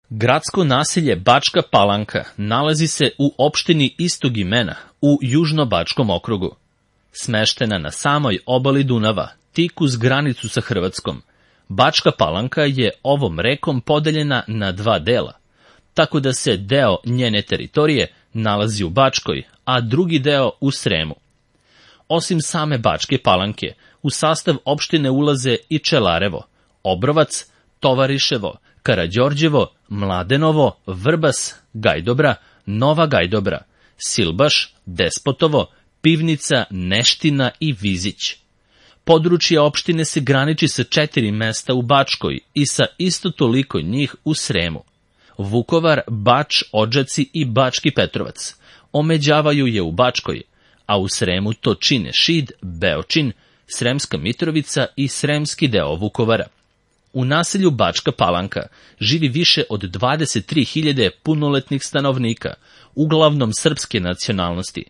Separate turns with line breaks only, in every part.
Gradsko naselje Bačka Palanka nalazi se u opštini istog imena u Južno-Bačkom okrugu. Smeštena na samoj obali Dunava, tik uz granicu sa Hrvatskom, Bačka Palanka je ovom rekom podeljena na dva dela, tako da se deo njene teritorije nalazi u Bačkoj, a drugi deo u Sremu. Osim same Bačke Palanke, u sastav opštine ulaze i Čelarevo, Obrovac, Tovariševo, Karađorđevo, Mladenovo, Vrbas, Gajdobra, Nova Gajdobra, Silbaš, Despotovo, Pivnica, Neština i Vizić. Područje opštine se graniči sa 4 mesta u Bačkoj i sa isto toliko njih u Sremu. Vukovar, Bač, Odžaci i Bački Petrovac omeđavaju je u Bačkoj, a u Sremu to čine Šid, Beočin, Sremska Mitrovica i sremski deo Vukovara. U naselju Bačka Palanka živi više od 23.000 punoletnih stanovnika, uglavnom srpske nacionalnosti,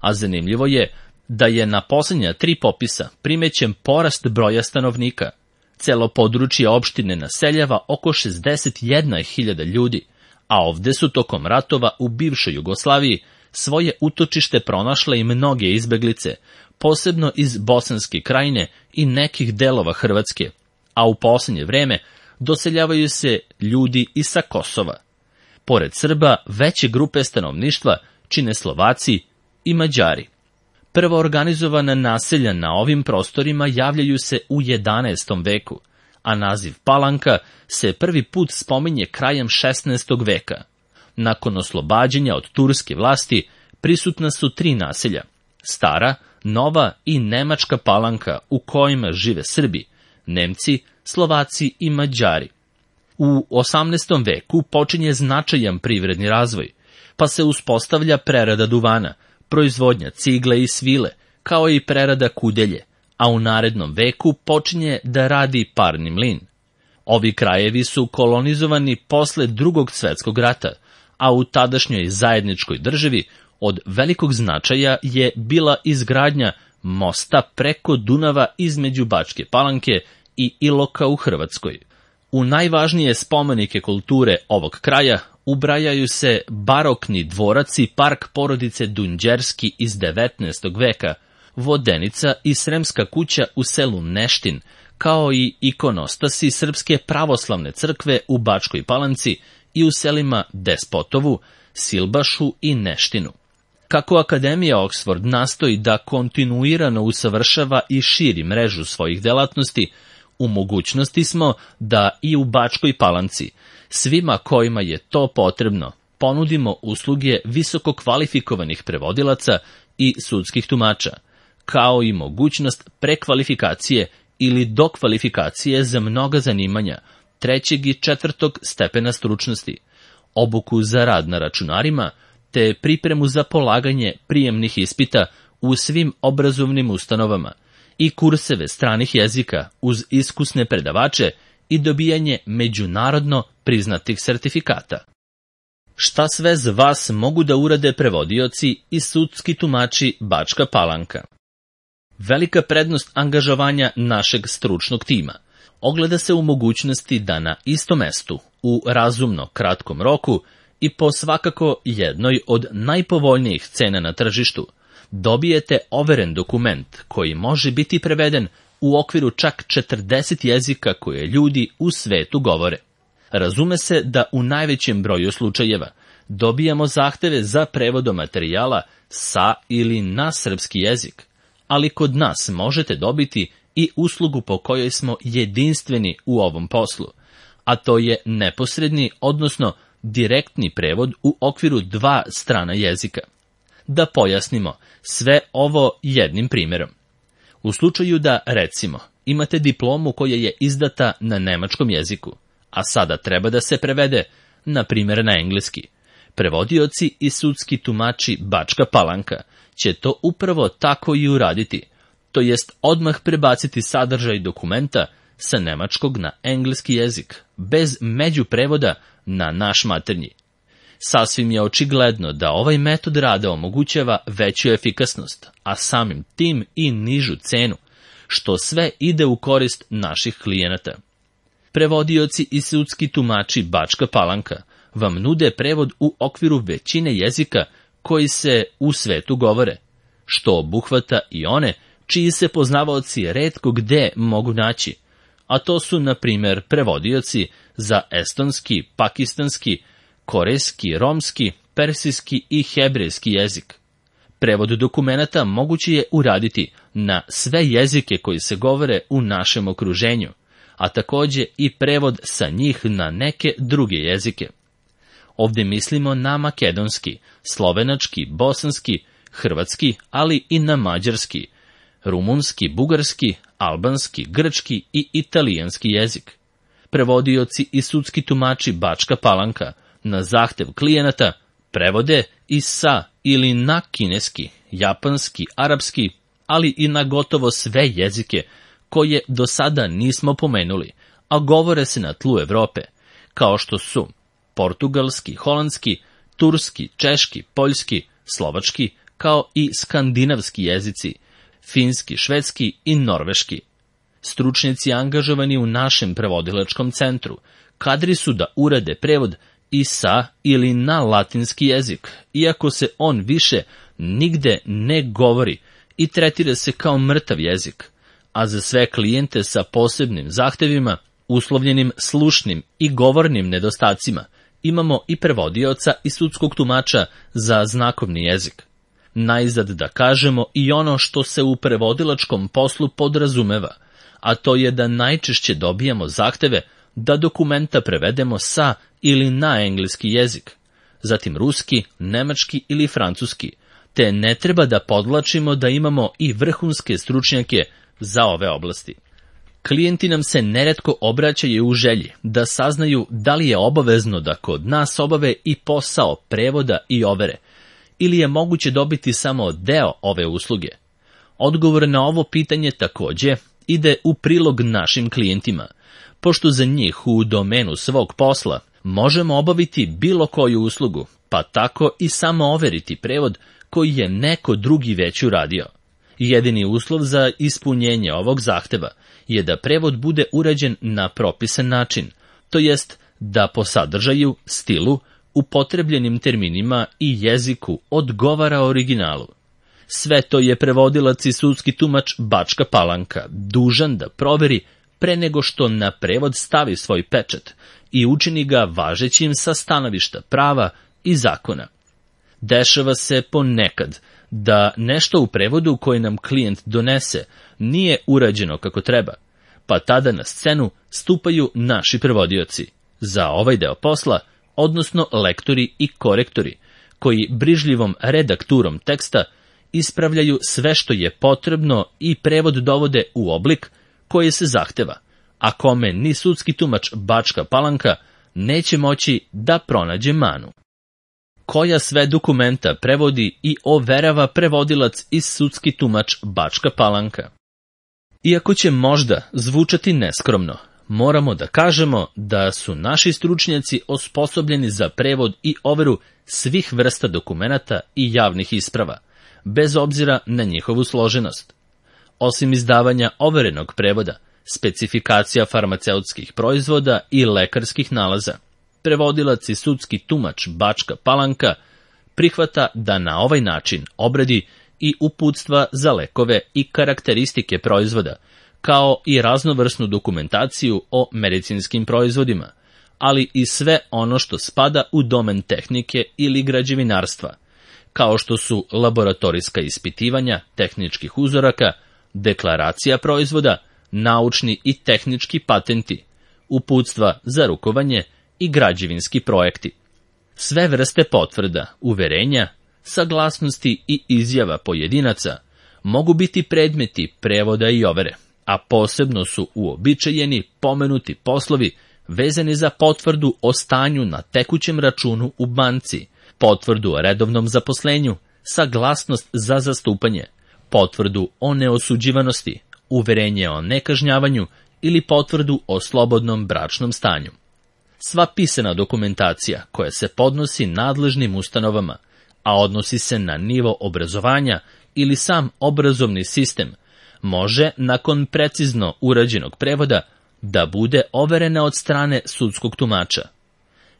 a zanimljivo je da je na poslednja 3 popisa primećen porast broja stanovnika. Celo područje opštine naseljava oko 61.000 ljudi, a ovde su tokom ratova u bivšoj Jugoslaviji svoje utočište pronašle i mnoge izbeglice, posebno iz Bosanske Krajine i nekih delova Hrvatske, a u poslednje vreme doseljavaju se ljudi i sa Kosova. Pored Srba, veće grupe stanovništva čine Slovaci i Mađari. Prvo organizovana naselja na ovim prostorima javljaju se u 11. veku, a naziv Palanka se prvi put spominje krajem 16. veka. Nakon oslobađanja od turske vlasti prisutna su 3 naselja: Stara, Nova i Nemačka Palanka, u kojima žive Srbi, Nemci, Slovaci i Mađari. U 18. veku počinje značajan privredni razvoj, pa se uspostavlja prerada duvana, proizvodnja cigle i svile, kao i prerada kudelje, a u narednom veku počinje da radi parni mlin. Ovi krajevi su kolonizovani posle Drugog svetskog rata, a u tadašnjoj zajedničkoj državi od velikog značaja je bila izgradnja mosta preko Dunava između Bačke Palanke i Iloka u Hrvatskoj. U najvažnije spomenike kulture ovog kraja ubrajaju se barokni dvorac i park porodice Dunđerski iz 19. veka, Vodenica i Sremska kuća u selu Neštin, kao i ikonostasi Srpske pravoslavne crkve u Bačkoj Palanci i u selima Despotovu, Silbašu i Neštinu. Kako Akademija Oxford nastoji da kontinuirano usavršava i širi mrežu svojih delatnosti, u mogućnosti smo da i u Bačkoj Palanci svima kojima je to potrebno ponudimo usluge visoko kvalifikovanih prevodilaca i sudskih tumača, kao i mogućnost prekvalifikacije ili dokvalifikacije za mnoga zanimanja 3. i 4. stepena stručnosti, obuku za rad na računarima, te pripremu za polaganje prijemnih ispita u svim obrazovnim ustanovama i kurseve stranih jezika uz iskusne predavače i dobijanje međunarodno priznatih sertifikata. Šta sve za vas mogu da urade prevodioci i sudski tumači Bačka Palanka? Velika prednost angažovanja našeg stručnog tima ogleda se u mogućnosti da na istom mestu, u razumno kratkom roku i po svakako jednoj od najpovoljnijih cena na tržištu, dobijete overen dokument koji može biti preveden u okviru čak 40 jezika koje ljudi u svetu govore. Razume se da u najvećem broju slučajeva dobijamo zahteve za prevodom materijala sa ili na srpski jezik, ali kod nas možete dobiti i uslugu po kojoj smo jedinstveni u ovom poslu, a to je neposredni, odnosno direktni prevod u okviru 2 strana jezika. Da pojasnimo sve ovo jednim primjerom. U slučaju da, recimo, imate diplomu koja je izdata na nemačkom jeziku, a sada treba da se prevede, na primjer, na engleski, prevodioci i sudski tumači Bačka Palanka će to upravo tako i uraditi, to jest odmah prebaciti sadržaj dokumenta sa nemačkog na engleski jezik, bez međuprevoda na naš maternji. Sasvim je očigledno da ovaj metod rada omogućava veću efikasnost, a samim tim i nižu cenu, što sve ide u korist naših klijenata. Prevodioci i sudski tumači Bačka Palanka vam nude prevod u okviru većine jezika koji se u svetu govore, što obuhvata i one čiji se poznavaoci retko gde mogu naći, a to su, na primjer, prevodioci za estonski, pakistanski, korejski, romski, persijski i hebrejski jezik. Prevod dokumenata moguće je uraditi na sve jezike koji se govore u našem okruženju, a takođe i prevod sa njih na neke druge jezike. Ovdje mislimo na makedonski, slovenački, bosanski, hrvatski, ali i na mađarski, rumunski, bugarski, albanski, grčki i italijanski jezik. Prevodioci i sudski tumači Bačka Palanka na zahtev klijenata prevode i sa ili na kineski, japanski, arapski, ali i na gotovo sve jezike koje do sada nismo pomenuli, a govore se na tlu Evrope, kao što su portugalski, holandski, turski, češki, poljski, slovački, kao i skandinavski jezici, finski, švedski i norveški. Stručnjaci angažovani u našem prevodilačkom centru kadri su da urade prevod i sa ili na latinski jezik, iako se on više nigde ne govori i tretira se kao mrtav jezik, a za sve klijente sa posebnim zahtevima, uslovljenim slušnim i govornim nedostacima, imamo i prevodioca i sudskog tumača za znakovni jezik. Najzad da kažemo i ono što se u prevodilačkom poslu podrazumeva, a to je da najčešće dobijamo zahteve da dokumenta prevedemo sa ili na engleski jezik, zatim ruski, nemački ili francuski, te ne treba da podvlačimo da imamo i vrhunske stručnjake za ove oblasti. Klijenti nam se neretko obraćaju u želji da saznaju da li je obavezno da kod nas obave i posao prevoda i overe, ili je moguće dobiti samo deo ove usluge. Odgovor na ovo pitanje takođe ide u prilog našim klijentima, pošto za njih u domenu svog posla možemo obaviti bilo koju uslugu, pa tako i samo overiti prevod koji je neko drugi već uradio. Jedini uslov za ispunjenje ovog zahteva je da prevod bude urađen na propisan način, to jest da po sadržaju, stilu, upotrebljenim terminima i jeziku odgovara originalu. Sve to je prevodilac i sudski tumač Bačka Palanka dužan da proveri pre nego što na prevod stavi svoj pečat i učini ga važećim sa stanovišta prava i zakona. Dešava se ponekad da nešto u prevodu koje nam klijent donese nije urađeno kako treba, pa tada na scenu stupaju naši prevodioci za ovaj deo posla, odnosno lektori i korektori, koji brižljivom redakturom teksta ispravljaju sve što je potrebno i prevod dovode u oblik koji se zahteva, a kome ni sudski tumač Bačka Palanka neće moći da pronađe manu. Koja sve dokumenta prevodi i overava prevodilac i sudski tumač Bačka Palanka? Iako će možda zvučati neskromno, moramo da kažemo da su naši stručnjaci osposobljeni za prevod i overu svih vrsta dokumenata i javnih isprava, bez obzira na njihovu složenost. Osim izdavanja overenog prevoda, specifikacija farmaceutskih proizvoda i lekarskih nalaza, prevodilac i sudski tumač Bačka Palanka prihvata da na ovaj način obradi i uputstva za lekove i karakteristike proizvoda, kao i raznovrsnu dokumentaciju o medicinskim proizvodima, ali i sve ono što spada u domen tehnike ili građevinarstva, kao što su laboratorijska ispitivanja tehničkih uzoraka, deklaracija proizvoda, naučni i tehnički patenti, uputstva za rukovanje i građevinski projekti. Sve vrste potvrda, uverenja, saglasnosti i izjava pojedinaca mogu biti predmeti prevoda i overe, a posebno su uobičajeni pomenuti poslovi vezani za potvrdu o stanju na tekućem računu u banci, potvrdu o redovnom zaposlenju, saglasnost za zastupanje, potvrdu o neosuđivanosti, uverenje o nekažnjavanju ili potvrdu o slobodnom bračnom stanju. Sva pisana dokumentacija koja se podnosi nadležnim ustanovama, a odnosi se na nivo obrazovanja ili sam obrazovni sistem, može, nakon precizno urađenog prevoda, da bude overena od strane sudskog tumača.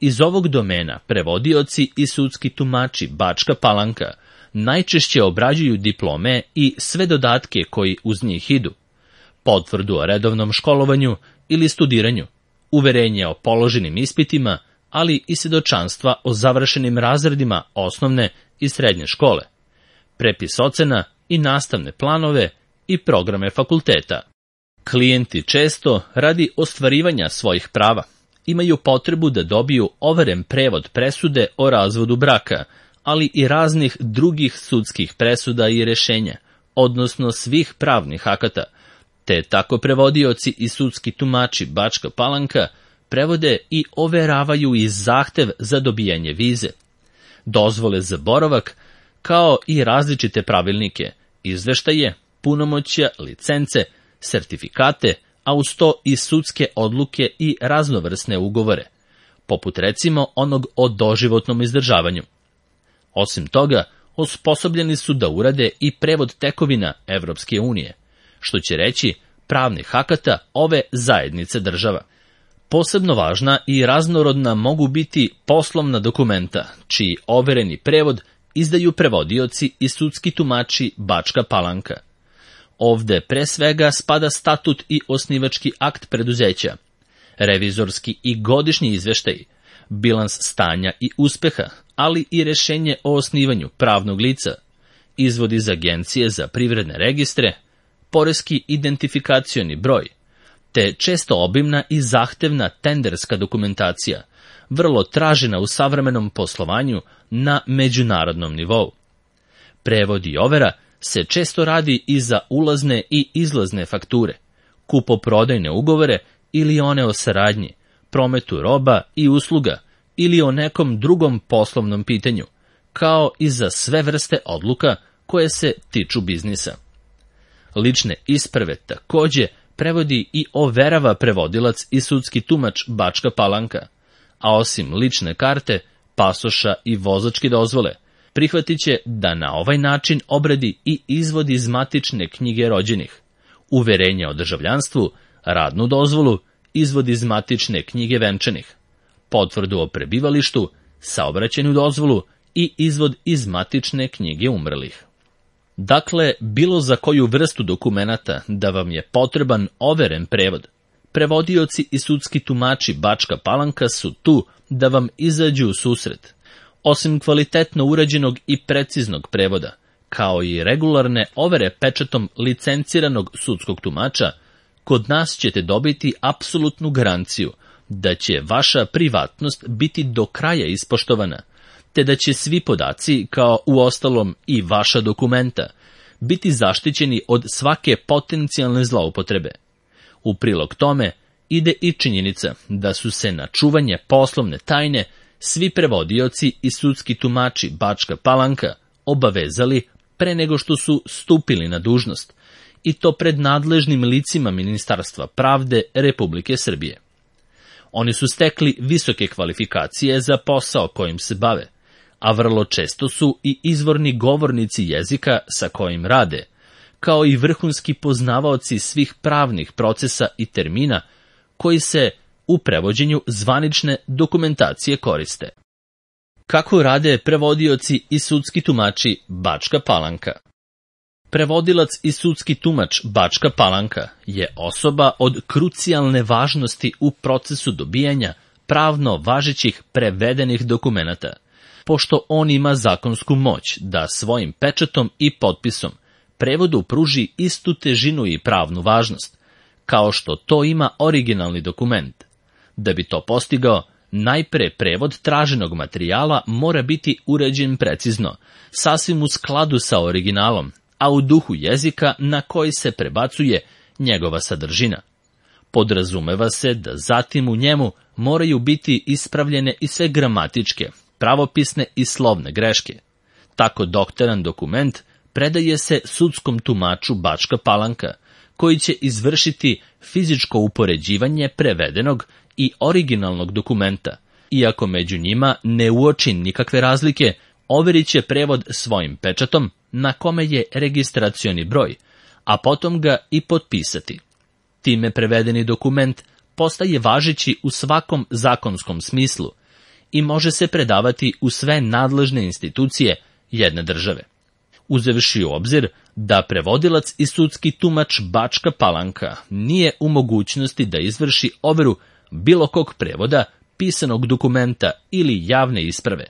Iz ovog domena prevodioci i sudski tumači Bačka Palanka najčešće obrađuju diplome i sve dodatke koji uz njih idu, potvrdu o redovnom školovanju ili studiranju, uverenje o položenim ispitima, ali i svjedočanstva o završenim razredima osnovne i srednje škole, prepis ocena i nastavne planove i programe fakulteta. Klijenti često, radi ostvarivanja svojih prava, imaju potrebu da dobiju overen prevod presude o razvodu braka, ali i raznih drugih sudskih presuda i rješenja, odnosno svih pravnih akata, te tako prevodioci i sudski tumači Bačka Palanka prevode i overavaju i zahtev za dobijanje vize, dozvole za boravak, kao i različite pravilnike, izveštaje, punomoćja, licence, sertifikate, a uz to i sudske odluke i raznovrsne ugovore, poput recimo onog o doživotnom izdržavanju. Osim toga, osposobljeni su da urade i prevod tekovina Evropske unije, što će reći pravnih akata ove zajednice država. Posebno važna i raznorodna mogu biti poslovna dokumenta, čiji overeni prevod izdaju prevodioci i sudski tumači Bačka Palanka. Ovde pre svega spada statut i osnivački akt preduzeća, revizorski i godišnji izveštaj, bilans stanja i uspeha, ali i rešenje o osnivanju pravnog lica, izvod iz Agencije za privredne registre, poreski identifikacioni broj, te često obimna i zahtevna tenderska dokumentacija, vrlo tražena u savremenom poslovanju na međunarodnom nivou. Prevod i overa se često radi i za ulazne i izlazne fakture, kupoprodajne ugovore ili one o saradnji, prometu roba i usluga ili o nekom drugom poslovnom pitanju, kao i za sve vrste odluka koje se tiču biznisa. Lične isprave takođe prevodi i overava prevodilac i sudski tumač Bačka Palanka, a osim lične karte, pasoša i vozačke dozvole, prihvatit će da na ovaj način obradi i izvod iz matične knjige rođenih, uverenje o državljanstvu, radnu dozvolu, izvod iz matične knjige venčanih, potvrdu o prebivalištu, saobraćajnu dozvolu i izvod iz matične knjige umrlih. Dakle, bilo za koju vrstu dokumenata da vam je potreban overen prevod, prevodioci i sudski tumači Bačka Palanka su tu da vam izađu u susret. Osim kvalitetno urađenog i preciznog prevoda, kao i regularne overe pečatom licenciranog sudskog tumača, kod nas ćete dobiti apsolutnu garanciju da će vaša privatnost biti do kraja ispoštovana, te da će svi podaci, kao uostalom i vaša dokumenta, biti zaštićeni od svake potencijalne zloupotrebe. U prilog tome ide i činjenica da su se na čuvanje poslovne tajne svi prevodioci i sudski tumači Bačka Palanka obavezali pre nego što su stupili na dužnost, i to pred nadležnim licima Ministarstva pravde Republike Srbije. Oni su stekli visoke kvalifikacije za posao kojim se bave, a vrlo često su i izvorni govornici jezika sa kojim rade, kao i vrhunski poznavaoci svih pravnih procesa i termina koji se u prevođenju zvanične dokumentacije koriste. Kako rade prevodioci i sudski tumači Bačka Palanka? Prevodilac i sudski tumač Bačka Palanka je osoba od krucijalne važnosti u procesu dobijanja pravno važećih prevedenih dokumenata, pošto on ima zakonsku moć da svojim pečatom i potpisom prevodu pruži istu težinu i pravnu važnost, kao što to ima originalni dokument. Da bi to postigao, najpre prevod traženog materijala mora biti uređen precizno, sasvim u skladu sa originalom, a u duhu jezika na koji se prebacuje njegova sadržina. Podrazumeva se da zatim u njemu moraju biti ispravljene i sve gramatičke, pravopisne i slovne greške. Tako doktoran dokument predaje se sudskom tumaču Bačka Palanka, koji će izvršiti fizičko upoređivanje prevedenog i originalnog dokumenta. Iako među njima ne uoči nikakve razlike, overit će prevod svojim pečatom na kome je registracioni broj, a potom ga i potpisati. Time prevedeni dokument postaje važeći u svakom zakonskom smislu i može se predavati u sve nadležne institucije jedne države. Uzevši u obzir da prevodilac i sudski tumač Bačka Palanka nije u mogućnosti da izvrši overu bilo kog prevoda, pisanog dokumenta ili javne isprave,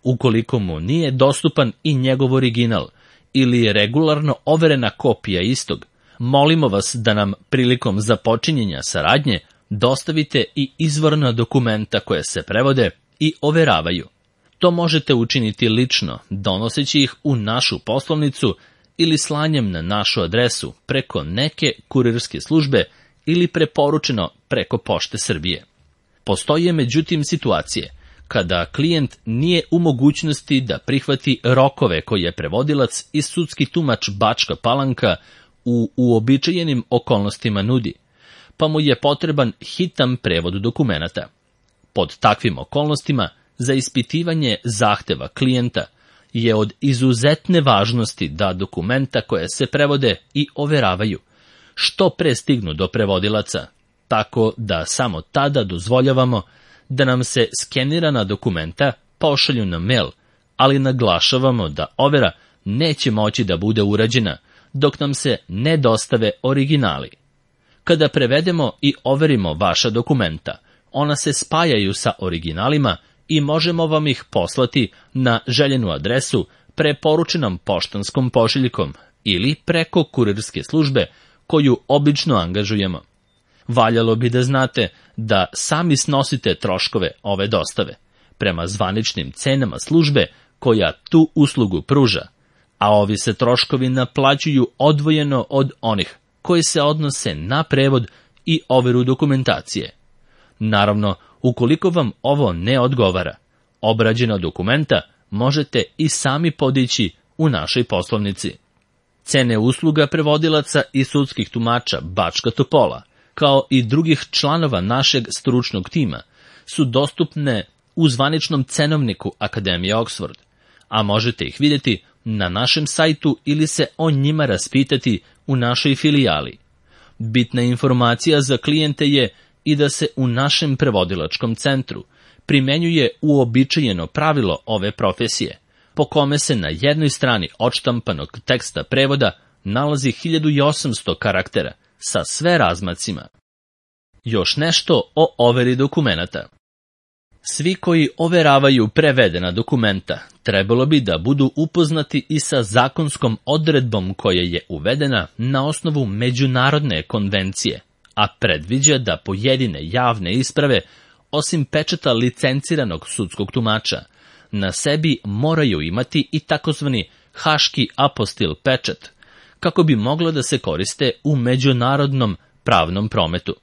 ukoliko mu nije dostupan i njegov original ili regularno overena kopija istog, molimo vas da nam prilikom započinjenja saradnje dostavite i izvorna dokumenta koje se prevode i overavaju. To možete učiniti lično, donoseći ih u našu poslovnicu ili slanjem na našu adresu preko neke kurirske službe ili preporučeno preko Pošte Srbije. Postoje međutim situacije kada klijent nije u mogućnosti da prihvati rokove koje prevodilac i sudski tumač Bačka Palanka u uobičajenim okolnostima nudi, pa mu je potreban hitan prevod dokumenata. Pod takvim okolnostima, za ispitivanje zahteva klijenta je od izuzetne važnosti da dokumenta koje se prevode i overavaju što pre stignu do prevodilaca, tako da samo tada dozvoljavamo da nam se skenirana dokumenta pošalju na mail, ali naglašavamo da overa neće moći da bude urađena dok nam se ne dostave originali. Kada prevedemo i overimo vaša dokumenta, ona se spajaju sa originalima i možemo vam ih poslati na željenu adresu preporučenom poštanskom pošiljkom ili preko kurirske službe koju obično angažujemo. Valjalo bi da znate da sami snosite troškove ove dostave, prema zvaničnim cenama službe koja tu uslugu pruža, a ovi se troškovi naplaćuju odvojeno od onih koji se odnose na prevod i overu dokumentacije. Naravno, ukoliko vam ovo ne odgovara, obrađena dokumenta možete i sami podići u našoj poslovnici. Cene usluga prevodilaca i sudskih tumača Bačka Topola, kao i drugih članova našeg stručnog tima, su dostupne u zvaničnom cenovniku Akademije Oxford, a možete ih vidjeti na našem sajtu ili se o njima raspitati u našoj filijali. Bitna informacija za klijente je i da se u našem prevodilačkom centru primenjuje uobičajeno pravilo ove profesije, po kome se na jednoj strani odštampanog teksta prevoda nalazi 1800 karaktera sa sve razmacima. Još nešto o overi dokumenata. Svi koji overavaju prevedena dokumenta trebalo bi da budu upoznati i sa zakonskom odredbom koja je uvedena na osnovu međunarodne konvencije, a predviđa da pojedine javne isprave, osim pečata licenciranog sudskog tumača, na sebi moraju imati i takozvani haški apostil pečat, kako bi moglo da se koriste u međunarodnom pravnom prometu.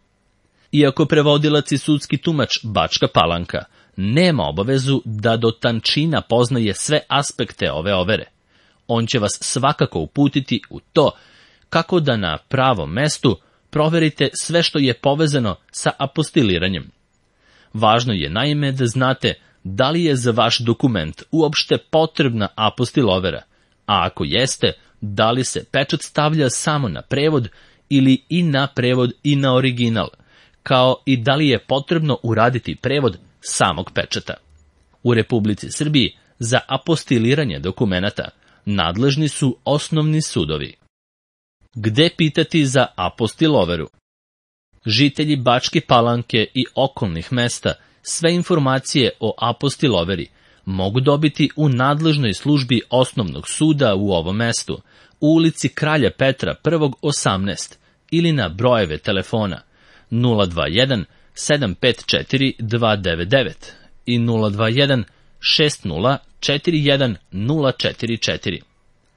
Iako prevodilac i sudski tumač Bačka Palanka nema obavezu da do tančina poznaje sve aspekte ove overe, on će vas svakako uputiti u to kako da na pravom mestu proverite sve što je povezano sa apostiliranjem. Važno je naime da znate da li je za vaš dokument uopšte potrebna apostil overa, a ako jeste, da li se pečat stavlja samo na prevod ili i na prevod i na original, kao i da li je potrebno uraditi prevod samog pečata. U Republici Srbiji za apostiliranje dokumenata nadležni su osnovni sudovi. Gde pitati za apostil overu? Žitelji Bačke Palanke i okolnih mesta sve informacije o apostil overi mogu dobiti u nadležnoj službi osnovnog suda u ovom mestu, u ulici Kralja Petra 18 ili na brojeve telefona 021 754 299 i 021 60 41 044.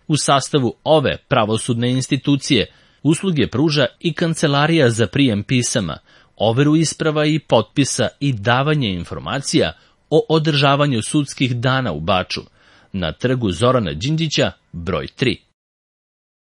U sastavu ove pravosudne institucije usluge pruža i Kancelarija za prijem pisama, overu isprava i potpisa i davanje informacija o održavanju sudskih dana u Baču, na trgu Zorana Đinđića, broj 3.